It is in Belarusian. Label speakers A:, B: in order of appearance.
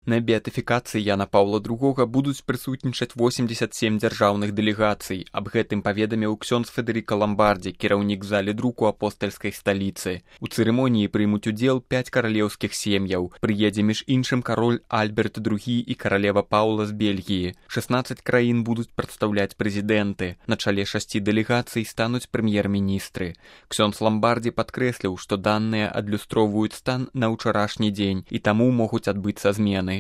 A: На беатыфікацыі Яна Паўла II будуць прысутнічаць 87 дзяржаўных дэлегацый. Аб гэтым паведаміў ксёндз Федэрыка Ламбардзі, кіраўнік залі друку апостальскай сталіцы. У цырымоніі прымуць удзел 5 каралеўскіх сем'яў. Прыедзе між іншым кароль Альберт II і каралева Паўла з Бельгіі. 16 краін будуць прадстаўляць прэзідэнты. На чале 6 дэлегацый стануць прэм'ер-міністры. Ксёндз Ламбардзі падкрэсліў, што даныя адлюстроўваюць стан на ўчарашні дзень і таму могуць адбыцца змены.